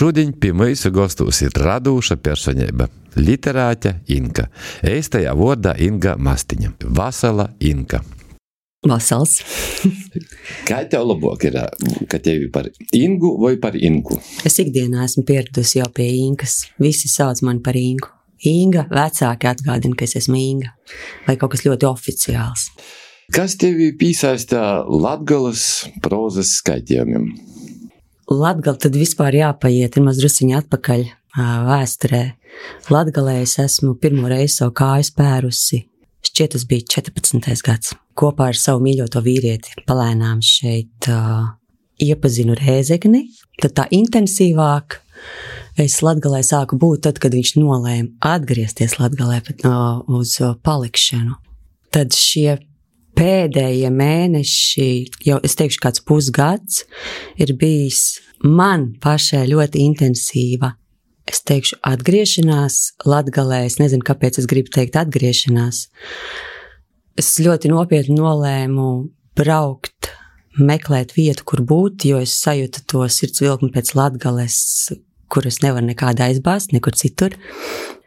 šodien pie mūsu gostos ir radūša personība, literāte Inka. Eistajā vārdā Inga Mastiņa. Vasala Inka. Vasals. Kā tev labāk ir, ka tevi par Ingu vai par Inku? Es ikdienā esmu pieradusi jau pie Inkas. Visi sauc mani par Inku. Inga, vecāki atgādina, ka es esmu Inga. Vai kaut kas ļoti oficiāls. Kas tevi piesaista Latgales prozas skaitījumiem? Latgala tad vispār jāpaiet, ir maz drusiņi atpakaļ vēsturē. Latgalē es esmu pirmo reizi savu kāju spērusi. Šķiet, tas bija 14. gads. Kopā ar savu mīļoto vīrieti palēnām šeit iepazinu Rēzekni. Tad tā intensīvāk es Latgalē sāku būt tad, kad viņš nolēma atgriezties Latgalē uz palikšanu. Tad šie pēdējie mēneši, jau es teikšu kāds pusgads, ir bijis man pašai ļoti intensīva. Es teikšu atgriešanās Latgalē, es nezinu, kāpēc es gribu teikt atgriešanās. Es ļoti nopietni nolēmu braukt, meklēt vietu, kur būt, jo es sajūtu to sirds vilkmi pēc Latgales, kur es nevaru nekādā aizbāzt, nekur citur.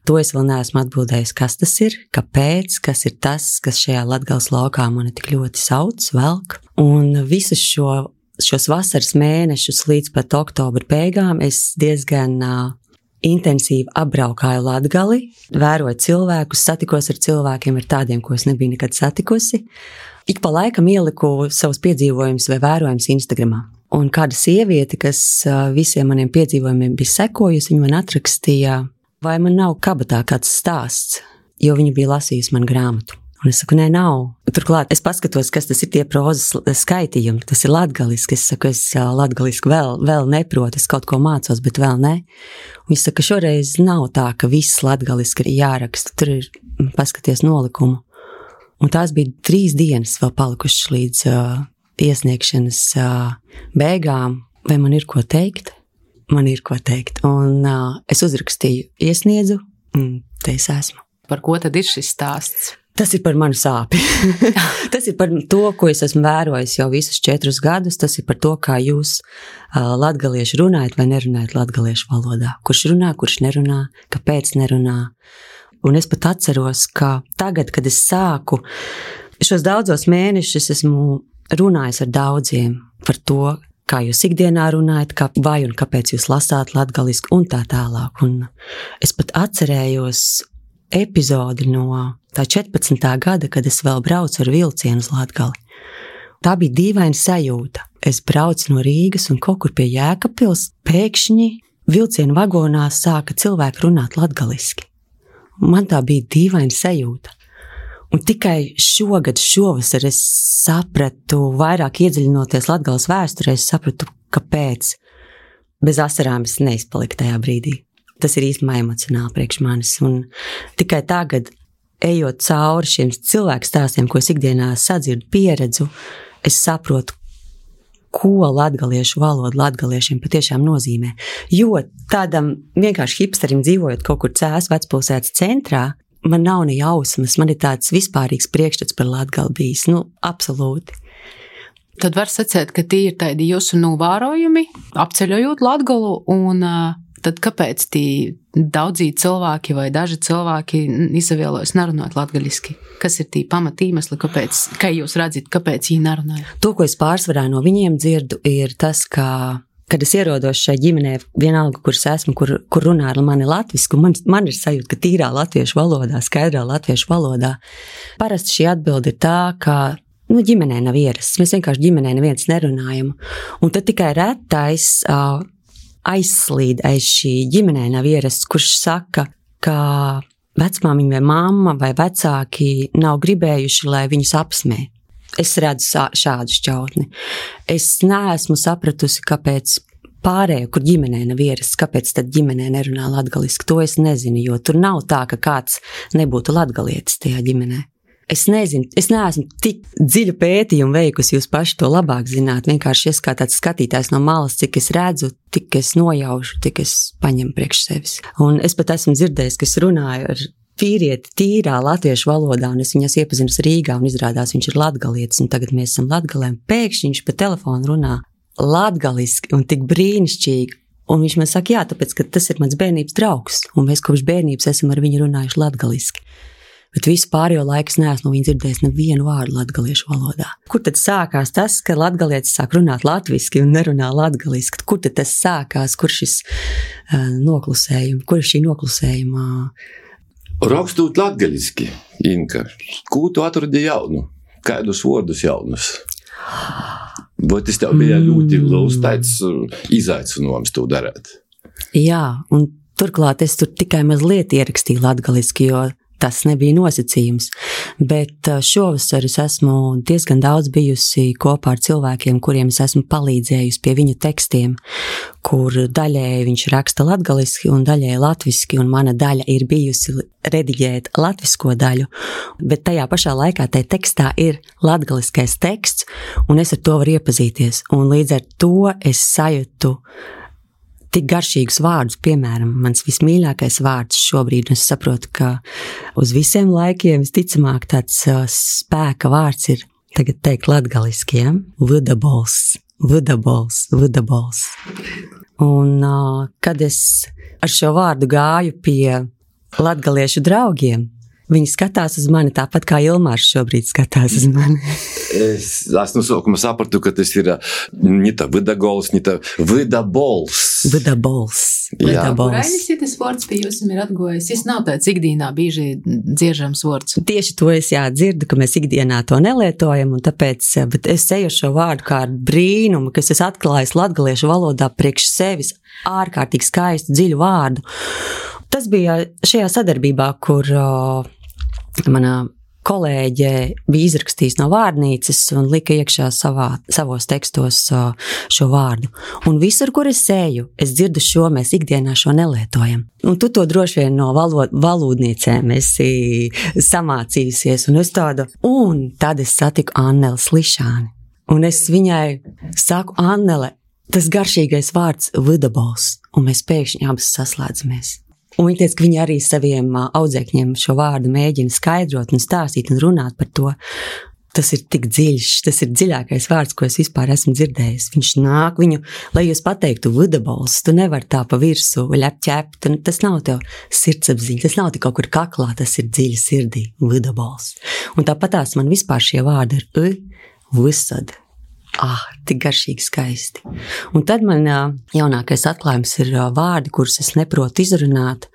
To es vēl neesmu atbildējis, kas tas ir, kāpēc, kas ir tas, kas šajā Latgales laukā mani tik ļoti sauc, velk. Un visus šos vasaras mēnešus līdz pat oktobra beigām es diezgan intensīvi apbraukāju Latgali, vēroju cilvēkus, satikos ar cilvēkiem, ar tādiem, ko es nebiju nekad satikusi. Ik pa laikam ieliku savus piedzīvojumus vai vērojumus Instagramā. Un kāda sieviete, kas visiem maniem piedzīvojumiem bija sekojusi, viņa man atrakstīja, vai man nav kabatā kāds stāsts, jo viņa bija lasījusi man grāmatu. Un es saku, nē, nav. Turklāt es paskatos, kas tas ir tie prozas skaitījumi, tas ir latgaliski. Es saku, es latgaliski vēl neprotu, es kaut ko mācos, bet vēl ne. Un viņa saka, šoreiz nav tā, ka viss latgaliski ir jāraksta, tur ir paskaties nolikumu. Un tās bija 3 dienas vēl palikušas līdz iesniegšanas beigām. Vai man ir ko teikt? Man ir ko teikt. Un es uzrakstīju, iesniedzu, te es esmu. Par ko tad ir šis stāsts? Tas ir par manu sāpi. Tas ir par to, ko es esmu vērojis jau visus 4 gadus. Tas ir par to, kā jūs latgalieši runājat vai nerunājat latgaliešu valodā. Kurš runā, kurš nerunā, kāpēc nerunā. Un es pat atceros, ka tagad, kad es sāku, šos daudzos mēnešus esmu runājis ar daudziem par to, kā jūs ikdienā runājat, vai un kāpēc jūs lasāt latgaliski un tā tālāk. Un es pat atcerējos epizodi no tā 14. gada, kad es vēl braucu ar vilcienu uz Latgali. Tā bija dīvaina sajūta. Es braucu no Rīgas un kaut kur pie Jēkabpils pēkšņi vilcienu vagonā sāka cilvēki runāt latgaliski. Man tā bija dīvaina sajūta. Un tikai šovasar es sapratu, vairāk iedziļinoties Latgales vēsturē, es sapratu, kāpēc bez asarām es neizpaliku tajā brīdī. Tas ir īstenībā emocionāli priekš manis. Un tikai tagad, ejot cauri šiem cilvēku stāstiem, ko es ikdienā sadzirdu, pieredzu, es saprotu, ko latgaliešu valoda latgaliešiem patiešām nozīmē. Jo tādam vienkārši hipsterim dzīvojot kaut kur Cēsu vecpilsētas centrā, man nav ne jausmas, man ir tāds vispārīgs priekšstats par Latgali bijis, absolūti. Tad var sacēt, ka tie ir tādi jūsu novērojumi, apceļojot Latgalu, un tad kāpēc tie daudzī cilvēki vai daži cilvēki izvēlas nerunāt latgaliski? Kas ir tie pamatīmesli, kāpēc, kā jūs redzat, kāpēc viņi nerunāja? To, ko es pārsvarā no viņiem dzirdu, ir tas, ka kad es ierodos šai ģimenē, vienalga, kur es esmu, kur runā ar mani latvisku, man ir sajūta, ka tīrā latviešu valodā, skaidrā latviešu valodā. Parasti šī atbilde ir tā, ka ģimenē nav ierasts. Mēs vienkārši ģimenē neviens nerunājam. Un tad tikai retais aizslīd aiz šī ģimenē nav ierasts, kurš saka, ka vecmāmiņa vai mamma vai vecāki nav gribējuši, lai viņus apsmē. Es redzu šādu šķautni. Es neesmu sapratusi, kāpēc pārējo, kur ģimenē nav ierasts, kāpēc tad ģimenē nerunā latgaliski. To es nezinu, jo tur nav tā, ka kāds nebūtu latgalietis tajā ģimenē. Es nezinu, es neesmu tik dziļu pētījumu veikusi, jūs paši to labāk zināt. Vienkārši es kā tāds skatītājs no malas, cik es redzu, tik es nojaušu, tik es paņemu priekš sevis. Un es pat esmu dzirdējis, ka es runāju ar vīrieti tīrā latviešu valodā, un es viņas iepazinu Rīgā, un izrādās viņš ir latgalietis, un tagad mēs esam Latgalē, un pēkšņi viņš pa telefonu runā latgaliski un tik brīnišķīgi. Un viņš man saka, jā, tāpēc, ka tas ir mans bērnības draugs, un mēs kopš bērnības esam ar viņu runājuši latgaliski. Bet visu pārējo laiku es neesmu no viņa dzirdējis nevienu vārdu latgaliešu valodā. Kur tad sākās tas, ka latgalietis sāk runāt latviski un nerunā latgaliski? Kur tad tas sākās, kur šis noklusējums, kur ir šī noklusējuma? Rakstot latgaliski, Inka, ko tu atradi jaunu? Kādus vārdus jaunus? Vai tas tev bija ļoti liels tāds izaicinājums to darīt? Jā, un turklāt es tur tikai mazliet ierakstīju latgaliski, jo tas nebija nosacījums. Bet šovasar es esmu diezgan daudz bijusi kopā ar cilvēkiem, kuriem es esmu palīdzējusi pie viņu tekstiem, kur daļēji viņš raksta latgaliski un daļēji latviski, un mana daļa ir bijusi rediģēt latvisko daļu, bet tajā pašā laikā tajā tekstā ir latgaliskais teksts, un es ar to varu iepazīties. Un līdz ar to es sajūtu tik garšīgus vārdus, piemēram, mans vismīļākais vārds šobrīd, un es saprotu, ka uz visiem laikiem visticamāk tāds spēka vārds ir tagad teikt latgaliski, ja? Vudabols. Un kad es ar šo vārdu gāju pie latgaliešu draugiem, viņi skatās uz mani tāpat kā Ilmārs šobrīd skatās uz mani. Es no sākuma sapratu, ka tas ir ne tā vidagols, ne tā vidabols. Kurainis ir tas vārds pie jums ir atgojis? Es nav tāds ikdienā bieži dziežams vārds. Tieši to es dzirdu, ka mēs ikdienā to nelietojam, un tāpēc, bet es eju šo vārdu kā ar brīnumu, kas es atklājis latgaliešu valodā priekš sevis ārkārtīgi skaistu, dziļu vārdu. Tas bija šajā sadarbībā, kur mana kolēģe bija izrakstījis no vārnīcas un lika iekšā savos tekstos šo vārdu. Un visur, kur es eju, es dzirdu šo, mēs ikdienā šo nelietojam. Un tu to droši vien no valodniecēm esi samācījusies, un es tādu, un tad es satiku Anneli Slišāni. Un es viņai saku, Annele, tas garšīgais vārds vidabols, un mēs pēkšņi abas saslēdzamies. Un viņa teica, ka viņa arī saviem audzēkņiem šo vārdu mēģina skaidrot un stāstīt un runāt par to. Tas ir tik dziļš, tas ir dziļākais vārds, ko es vispār esmu dzirdējis. Viņš nāk viņu, lai jūs pateiktu vidabols, tu nevar tā pa virsu ļepķept, tas nav tev sirdsapziņa, tas nav tik kaut kur kaklā, tas ir dziļi sirdī, vidabols. Un tāpatās man vispār šie vārdi ir visad. Tik garšīgi skaisti. Un tad man jaunākais atklājums ir vārdi, kurus es neprotu izrunāt.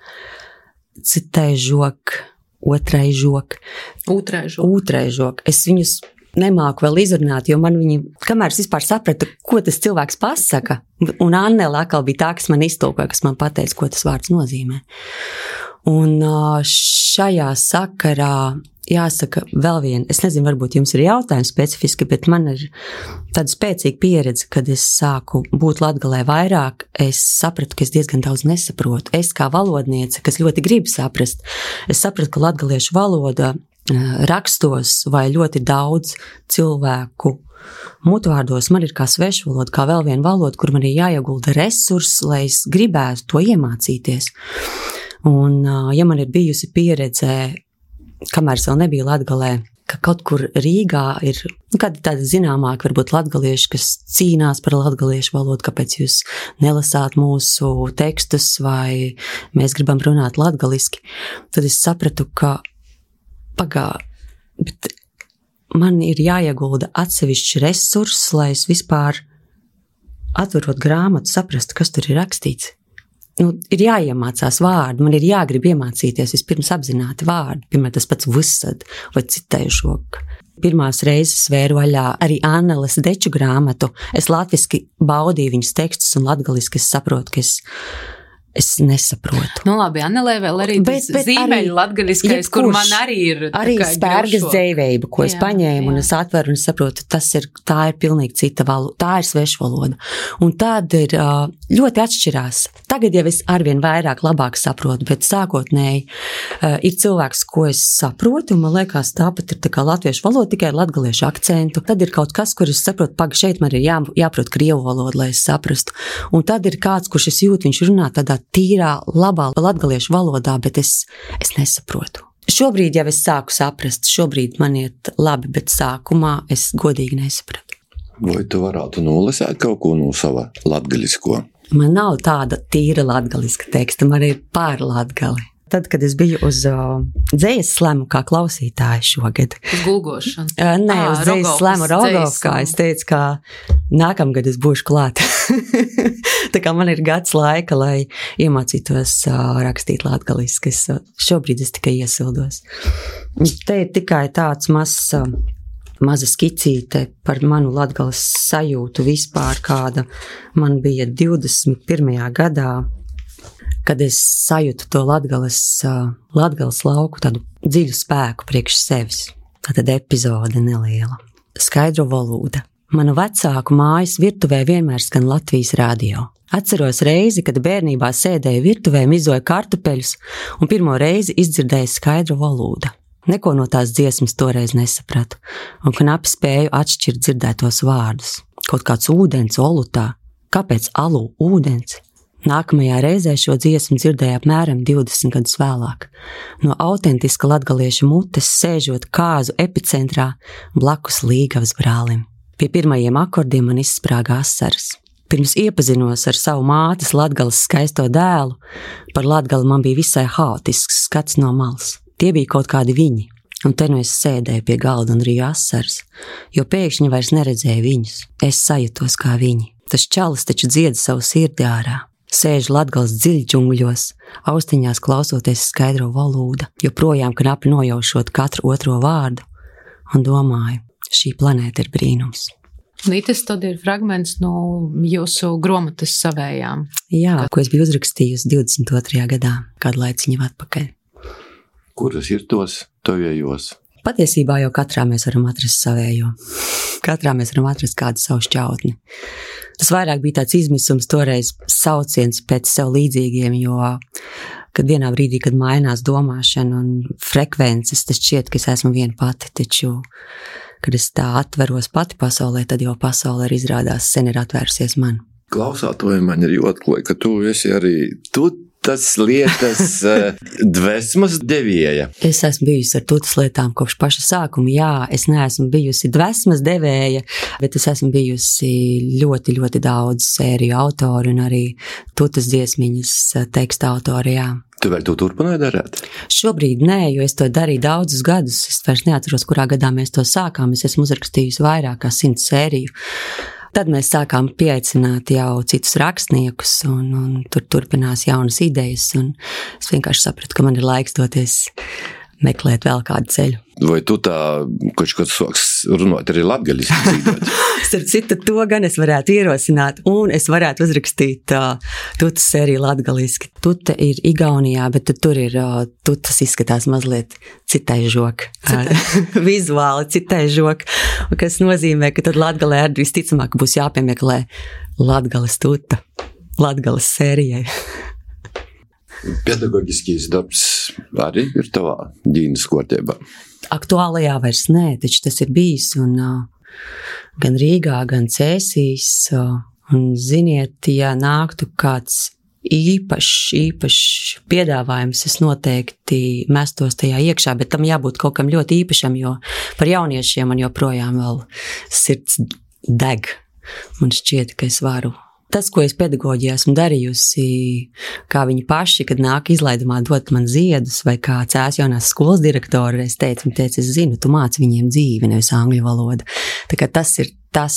Citai žok, otrai žok. Otrai žok. Es viņus nemāku vēl izrunāt, jo man viņi, kamēr es vispār sapratu, ko tas cilvēks pasaka, un Annele atkal bija tā, kas man iztulkoja, kas man pateica, ko tas vārds nozīmē. Un šajā sakarā jāsaka vēl vien, es nezinu, varbūt jums ir jautājums specifiski, bet man ir tāda spēcīga pieredze, kad es sāku būt latgalē vairāk, es sapratu, ka es diezgan daudz nesaprotu. Es kā valodniece, kas ļoti grib saprast, es sapratu, ka latgaliešu valoda rakstos vai ļoti daudz cilvēku mutvārdos man ir kā svešvaloda, kā vēl viena valoda, kur man ir jāiegulda resursi, lai es gribētu to iemācīties. Un, ja man ir bijusi pieredze, kamēr es vēl nebiju Latgalē, ka kaut kur Rīgā ir kādi tādi zināmāki, varbūt latgalieši, kas cīnās par latgaliešu valodu, kāpēc jūs nelasāt mūsu tekstus vai mēs gribam runāt latgaliski, tad es sapratu, ka bet man ir jāiegulda atsevišķi resursi, lai es vispār atverot grāmatu saprastu, kas tur ir rakstīts. Ir jāiemācās vārdi, man ir jāgrib iemācīties vispirms apzināti vārdi, piemēram, tas pats visad vai citējušok. Pirmās reizes vēru vaļā arī Anneles Deču grāmatu, es latviski baudīju viņas tekstus un latgaliski es saprotu, ka es nesaprotu. Labi, Annelē vēl arī tas zīmeļu latgaliskais, kur man arī ir arī spērgas dzējveiba, ko es paņēmu un es atveru un saprotu, tā ir pilnīgi cita valoda, tā ir svešvaloda. Un tad ir ļoti atšķirās. Tagad jau es arvien vairāk labāk saprotu, bet sākotnēji ir cilvēks, ko es saprotu, un man liekas, tāpat ir tā kā latviešu valoda, tikai latgaliešu akcentu. Tad ir kaut kas, kur es saprotu, šeit man ir jāprot krievu valodu, lai es saprastu. Un tad ir kāds, kurš es jūtu, viņš runā tādā tīrā, labā latgaliešu valodā, bet es nesaprotu. Šobrīd jau es sāku saprast, šobrīd man iet labi, bet sākumā es godīgi nesapratu. Vai tu varētu nolasēt kaut ko no sava latgalisko? Man nav tāda tīra latgaliska teksta, man ir pār latgali. Tad, kad es biju uz dzejas slemu kā klausītāja šogad. Uz gulgošanu? Nē, uz dzejas slemu Rogovkā. Es teicu, ka nākamgad es būšu klāt. Tā kā man ir gads laika, lai iemācītos rakstīt latgaliski. Šobrīd es tikai iesildos. Te ir tikai tāds maza skicīte par manu latgales sajūtu vispār, kāda man bija 21. gadā, kad es sajūtu to latgales lauku, tādu dziļu spēku priekš sevis. Tātad epizode neliela. Skaidro valoda. Manu vecāku mājas virtuvē vienmēr skan Latvijas radio. Atceros reizi, kad bērnībā sēdēju virtuvē, mizoju kartupeļus un pirmo reizi izdzirdēju skaidru valodu. Neko no tās dziesmas toreiz nesapratu un knapi spēju atšķirt dzirdētos vārdus. Kaut kāds ūdens olutā. Kāpēc alu ūdens? Nākamajā reizē šo dziesmu dzirdēju apmēram 20 gadus vēlāk. No autentiska latgaliešu mutes sēžot kāzu epicentrā blakus Līgavas brālim. Pie pirmajiem akordiem man izsprāga asaras. Pirms iepazinos ar savu mātes Latgales skaisto dēlu, par Latgali man bija visai haotisks skats no malas. Tie bija kaut kādi viņi, un te nu es sēdēju pie galda un rīju asaras, jo pēkšņi vairs neredzēju viņus. Es sajutos kā viņi. Tas čalis taču dzied savu sirdi ārā. Sēžu Latgales dziļģungļos, austiņās klausoties skaidro valodu, joprojām knapi nojaušot katru otro vārdu, un domāju, šī planēta ir brīnums. Lītis, tad ir fragments no jūsu grāmatas savējām. Jā, ko es biju uzrakstījusi 22. gadā, kādu laiciņu atpakaļ. Kuras ir tos tavējos? Patiesībā jau katrā mēs varam atrast savējo. Katrā mēs varam atrast kādu savu šķautni. Tas vairāk bija tāds izmisums toreiz sauciens pēc sev līdzīgiem, jo kad vienā brīdī, kad mainās domāšana un frekvences, tas šķiet, ka es esmu viena pati, taču, kad es tā atveros pati pasaulē, tad jau pasaule arī izrādās sen ir atvērusies man. Klausātoji man ir jotklai, ka tu esi arī tas lietas dvēsmas devēja. Es esmu bijusi ar tutas lietām kopš paša sākuma. Jā, es neesmu bijusi dvēsmas devēja, bet es esmu bijusi ļoti, ļoti daudz sēriju autori un arī tutas dziesmiņas teksta autori, jā. Tu vēl to turpināji darīt? Šobrīd nē, jo es to darīju daudzus gadus. Es vairs neatceros, kurā gadā mēs to sākām. Es esmu uzrakstījusi vairāk kā 100 sēriju. Tad mēs sākām pieaicināt jau citus rakstniekus un tur turpinās jaunas idejas un es vienkārši sapratu, ka man ir laiks doties meklēt vēl kādu ceļu. Vai tu tā kaut soks runāt arī latgaliski dzīvot? Starp citu, to gan es varētu ierosināt un es varētu uzrakstīt tutas sēriju latgaliski. Tuta ir Igaunijā, bet tur ir tutas izskatās mazliet citai žok. Vizuāli citai žok, kas nozīmē, ka tad Latgalē arī visticamāk būs jāpiemeklē Latgales tuta, Latgales sērijai. Pedagoģiskīs darbs arī ir tavā ģīnas kārtībā? Aktuālajā vairs nē, taču tas ir bijis un gan Rīgā, gan Cēsīs. Un ziniet, ja nāktu kāds īpašs piedāvājums, es noteikti mestos tajā iekšā, bet tam jābūt kaut kam ļoti īpašam, jo par jauniešiem man joprojām vēl sirds deg. Man šķiet, ka es varu. Tas, ko es pedagoģijā esmu darījusi, kā viņi paši, kad nāk izlaidumā dot man ziedus, vai kā Cēs jaunās skolas direktori, es teicu, es zinu, tu māci viņiem dzīvi, nevis angļu valodu. Tā kā tas ir tas,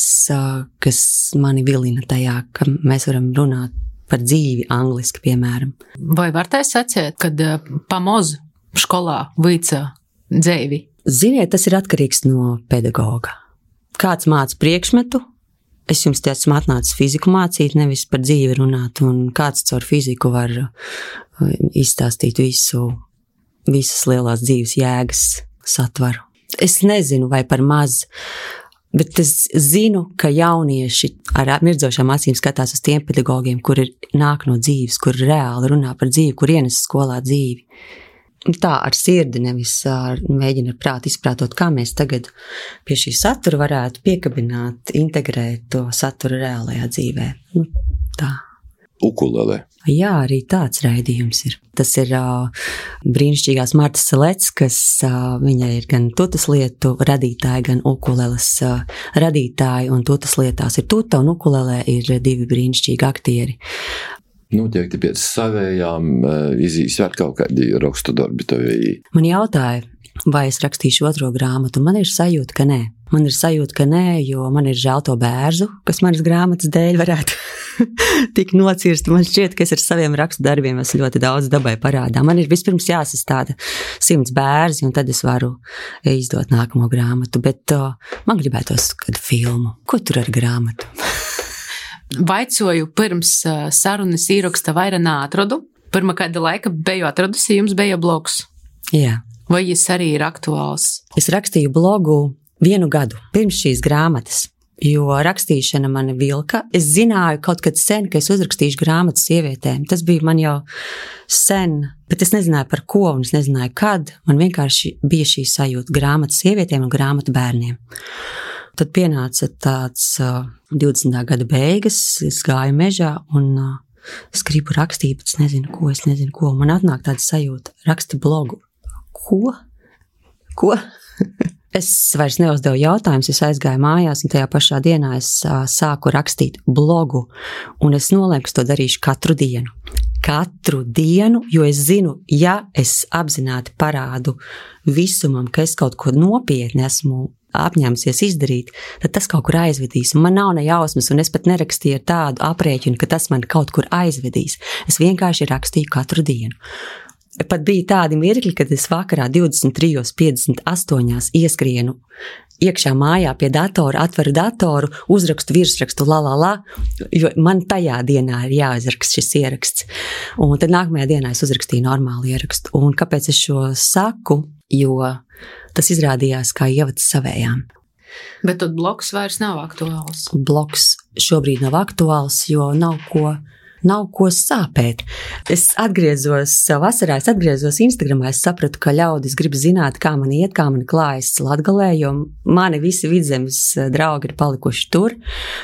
kas mani vilina tajā, ka mēs varam runāt par dzīvi angliski, piemēram. Vai var tā secēt, kad pamoz školā vīca dzēvi? Ziniet, tas ir atkarīgs no pedagoga. Kāds māca priekšmetu, es jums te esmu atnācis fiziku mācīt, nevis par dzīvi runāt, un kāds caur fiziku var izstāstīt visas lielās dzīves jēgas satvaru. Es nezinu, vai par maz, bet es zinu, ka jaunieši ar mirdzošām acīm skatās uz tiem pedagogiem, kuri nāk no dzīves, kuri reāli runā par dzīvi, kur ienes skolā dzīvi. Tā ar sirdi, nevis mēģina ar prātu izprātot, kā mēs tagad pie šī satura varētu piekabināt, integrēt to saturu reālajā dzīvē. Tā. ukulele. Jā, arī tāds raidījums ir. Tas ir brīnišķīgās Martas Seleckas, viņa ir gan tutas lietu radītāja, gan ukuleles radītāja, un tutas lietās ir tuta, un ukulelē ir 2 brīnišķīgi aktieri. Noteikti pēc savējām izīs vēl kaut kādi rakstu darbi tevī. Man jautāja, vai es rakstīšu otro grāmatu, man ir sajūta, ka nē. Man ir sajūta, ka nē, jo man ir žēl to bērzu, kas manas grāmatas dēļ varētu tik nocirst. Man šķiet, ka es ar saviem rakstu darbiem esmu ļoti daudz dabai parādā. Man ir vispirms jāsastāda 100 bērzi, un tad es varu izdot nākamo grāmatu. Bet man gribētos kādu filmu. Ko tur ar grāmatu? Vaicoju pirms sarunas ieraksta vairāk neatradu. Pirmā kāda laika biju atradusi, jums bija blogs. Jā. Vai jis arī ir aktuāls? Es rakstīju blogu 1 gadu pirms šīs grāmatas, jo rakstīšana mani vilka. Es zināju kaut kad sen, ka es uzrakstīšu grāmatu sievietēm. Tas bija man jau sen, bet es nezināju par ko un es nezināju kad. Man vienkārši bija šī sajūta grāmatu sievietēm un grāmatu bērniem. Tad pienāca tāds 20. gada beigas, es gāju mežā un es gribu rakstīt, bet es nezinu ko. Man atnāk tāda sajūta, raksti blogu. Ko? Es vairs neuzdevu jautājumus, es aizgāju mājās un tajā pašā dienā es sāku rakstīt blogu un es nolēmu, ka to darīšu katru dienu. Katru dienu, jo es zinu, ja es apzināti parādu visumam, ka es kaut ko nopietni esmu apņēmusies izdarīt, tad tas kaut kur aizvedīs. Un man nav ne jausmas, un es pat nerakstīju ar tādu aprēķinu, ka tas man kaut kur aizvedīs. Es vienkārši rakstīju katru dienu. Pat bija tādi mirkļi, kad es vakarā 23:58 ieskrienu iekšā mājā pie datora, atveru datoru, uzrakstu virsrakstu jo man tajā dienā ir jāizraksta šis ieraksts. Un tad nākamajā dienā es uzrakstīju normālu ierakstu. Un kāpēc es šo saku? Jo tas izrādījās kā ievads savējām. Bet tad blogs vairs nav aktuāls. Blogs šobrīd nav aktuāls, jo nav ko sāpēt. Es vasarā atgriezos Instagramā, es sapratu, ka ļaudis grib zināt, kā man iet, kā man klājas Latgalē, jo mani visi Vidzemes draugi ir palikuši tur.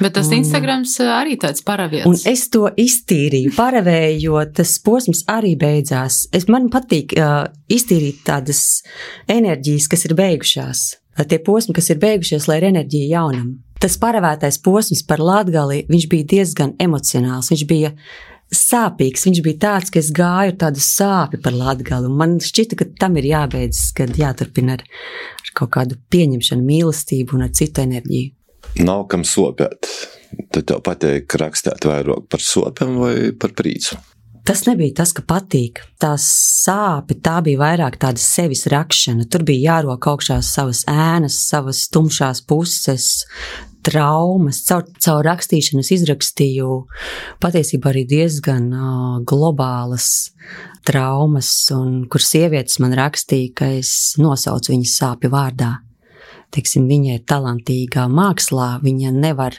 Bet tas Instagrams arī tāds paraviets. Un es to iztīrīju, paravēju, jo tas posms arī beidzās. Man patīk iztīrīt tādas enerģijas, kas ir beigušās. Tie posmi, kas ir beigušies, lai ir enerģija jaunam. Tas paravētais posms par Latgali, viņš bija diezgan emocionāls, viņš bija sāpīgs, viņš bija tāds, ka es gāju tādu sāpi par Latgali, un man šķita, ka tam ir jābeidzas, kad jāturpina ar kaut kādu pieņemšanu, mīlestību un ar citu enerģiju. Nav kam sopēt. Tad tev patīk rakstīt vairāk par sopēm vai par prīcu? Tas nebija tas, ka patīk. Tā sāpe, tā bija vairāk tāda sevis rakšana. Tur bija jārok augšā savas ēnas, savas tumšās puses, traumas. Caur rakstīšanu es izrakstīju patiesībā arī diezgan globālas traumas, un kur sievietes man rakstīja, ka es nosaucu viņas sāpju vārdā. Teiksim, viņa ir talantīgā mākslā, viņa nevar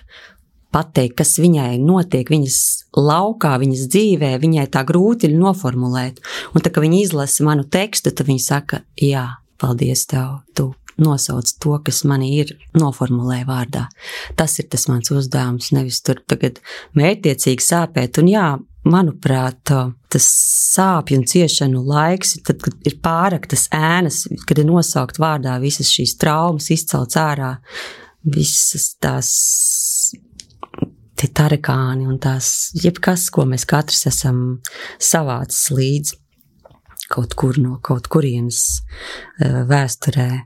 pateikt, kas viņai notiek viņas laukā, viņas dzīvē, viņai tā grūti ir noformulēt. Un tā, ka viņa izlasa manu tekstu, tad viņa saka, jā, paldies tev, tu nosauc to, kas mani ir noformulē vārdā. Tas ir tas mans uzdevums, nevis tur tagad mērķtiecīgi sāpēt. Un jā, manuprāt, tas sāpju un ciešanu laiks, tad, kad ir pāraktas ēnas, kad ir nosaukt vārdā visas šīs traumas, izcelts ārā, visas tās tie tarekāni un tās jebkas, ko mēs katrs esam savācis līdz kaut kur no kaut kurienes vēsturē.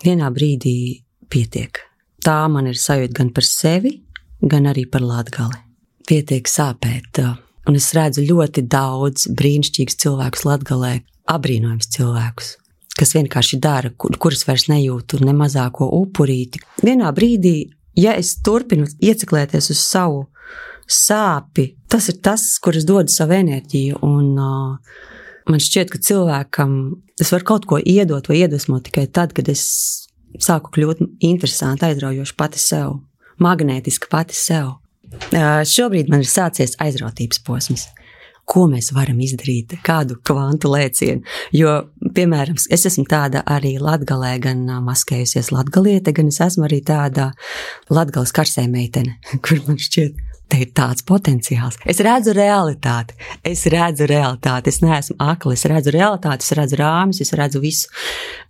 Vienā brīdī pietiek. Tā man ir sajūta gan par sevi, gan arī par Latgali. Pietiek sāpēt. Un es redzu ļoti daudz brīnišķīgus cilvēkus Latgalē, abrīnojams cilvēkus, kas vienkārši dara, kurus vairs nejūtu ne mazāko upurīti. Vienā brīdī, ja es turpinu ieciklēties uz savu sāpi, tas ir tas, kur es dodu savu enerģiju, un man šķiet, ka cilvēkam es varu kaut ko iedot vai iedvesmot tikai tad, kad es sāku kļūt interesanti, aizraujoši pati sev, magnētiski pati sev. Šobrīd man ir sācies aizrautības posms. Ko mēs varam izdarīt, kādu kvantu lēcienu. Jo, piemēram, es esmu tāda arī Latgalē, gan maskējusies latgaliete, gan es esmu arī tāda Latgales karsē meitene, kur man šķiet, te ir tāds potenciāls. Es redzu realitāti. Es neesmu akli, es redzu realitāti, es redzu rāmis, es redzu visu,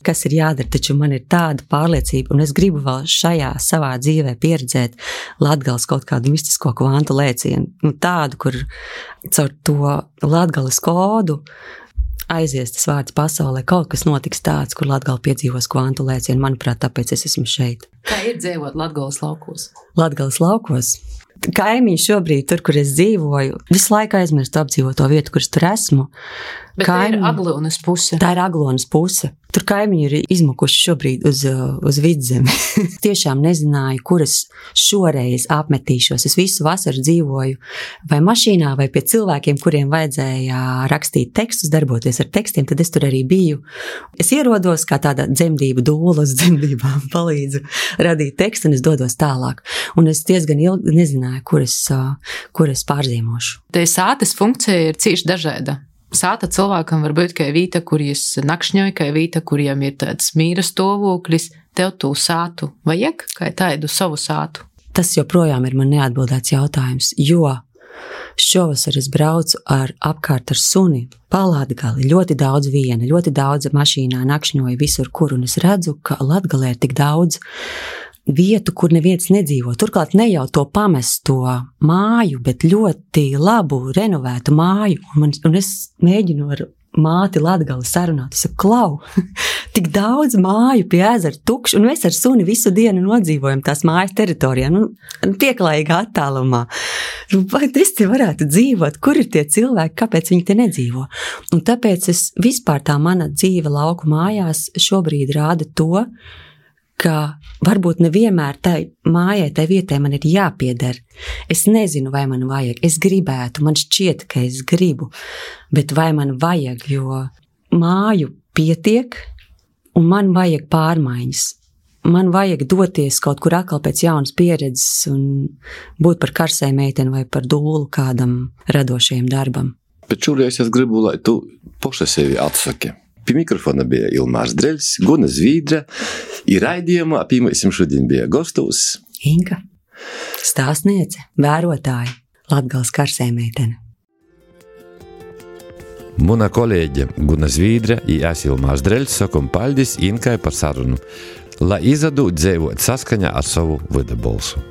kas ir jādara, taču man ir tāda pārliecība, un es gribu vēl šajā savā dzīvē pieredzēt Latgales kaut kādu mistisko kvantu lēcienu, tādu, kur caur to Latgales kodu aizies tas vārds pasaulē, kaut kas notiks tāds, kur Latgala piedzīvos kvantu lēcienu. Manuprāt, tāpēc es esmu šeit. Kā ir dzīvot Latgales laukos? Latgales laukos? Kaimiņi šobrīd, tur, kur es dzīvoju, visu laiku aizmirstu apdzīvot to vietu, kur es tur esmu. Bet tā ir Aglonas puse. Tā ir Aglonas puse. Tur kaimiņi ir izmukuši šobrīd uz vidzemi. Tiešām nezināju, kur es šoreiz apmetīšos. Es visu vasaru dzīvoju vai mašīnā, vai pie cilvēkiem, kuriem vajadzēja rakstīt tekstus, darboties ar tekstiem, tad es tur arī biju. Es ierodos kā tāda dzemdību dūla, uz dzemdībām palīdzu radīt tekstu, un es dodos tālāk. Un es diezgan ilgi nezināju, kur es pārzīmošu. Te sātes funkcija ir cīši dažāda. Sāta cilvēkam var būt kā vīta, kur jūs nakšņoja, kā vīta, kuriem ir tāds mīra stāvoklis. Tev tū sātu vajag, kā tādu savu sātu? Tas joprojām ir man neatbildēts jautājums, jo šovasar es braucu apkārt ar suni pa Latgali, ļoti daudz viena, ļoti daudz mašīnā nakšņoja visur, kur, un es redzu, ka Latgalē ir tik daudz vietu, kur neviens nedzīvo. Turklāt ne jau to pamesto māju, bet ļoti labu, renovētu māju. Un es mēģinu ar māti Latgali sarunāt. Es saku, klau, tik daudz māju pie ezera tukšu, un mēs ar suni visu dienu nodzīvojam tās mājas teritorijā, pieklājīgā attālumā. Vai es te varētu dzīvot? Kur ir tie cilvēki? Kāpēc viņi te nedzīvo? Un tāpēc vispār tā mana dzīve lauku mājās šobrīd rāda to, ka varbūt nevienmēr tai mājai, tai vietai man ir jāpieder. Es nezinu, vai man vajag. Es gribētu, man šķiet, ka es gribu, bet vai man vajag, jo māju pietiek, un man vajag pārmaiņas. Man vajag doties kaut kur atkal pēc jaunas pieredzes un būt par karsai meiteni vai par dūlu kādam radošajam darbam. Bet šoreiz es gribu, lai tu poša sevi atsaki. Pie mikrofona bija Ilmārs Dreļs, Guna Zvīdra, ir raidījumā, pīmēsim šodien bija gostos Inka, stāstniece, vērotāja, Latgales karsē meitene. Muna kolēģe Guna Zvīdra i es Ilmārs Dreļs sakom paldies Inkai par sarunu, lai izadu dzēvot saskaņā ar savu vidabalsu.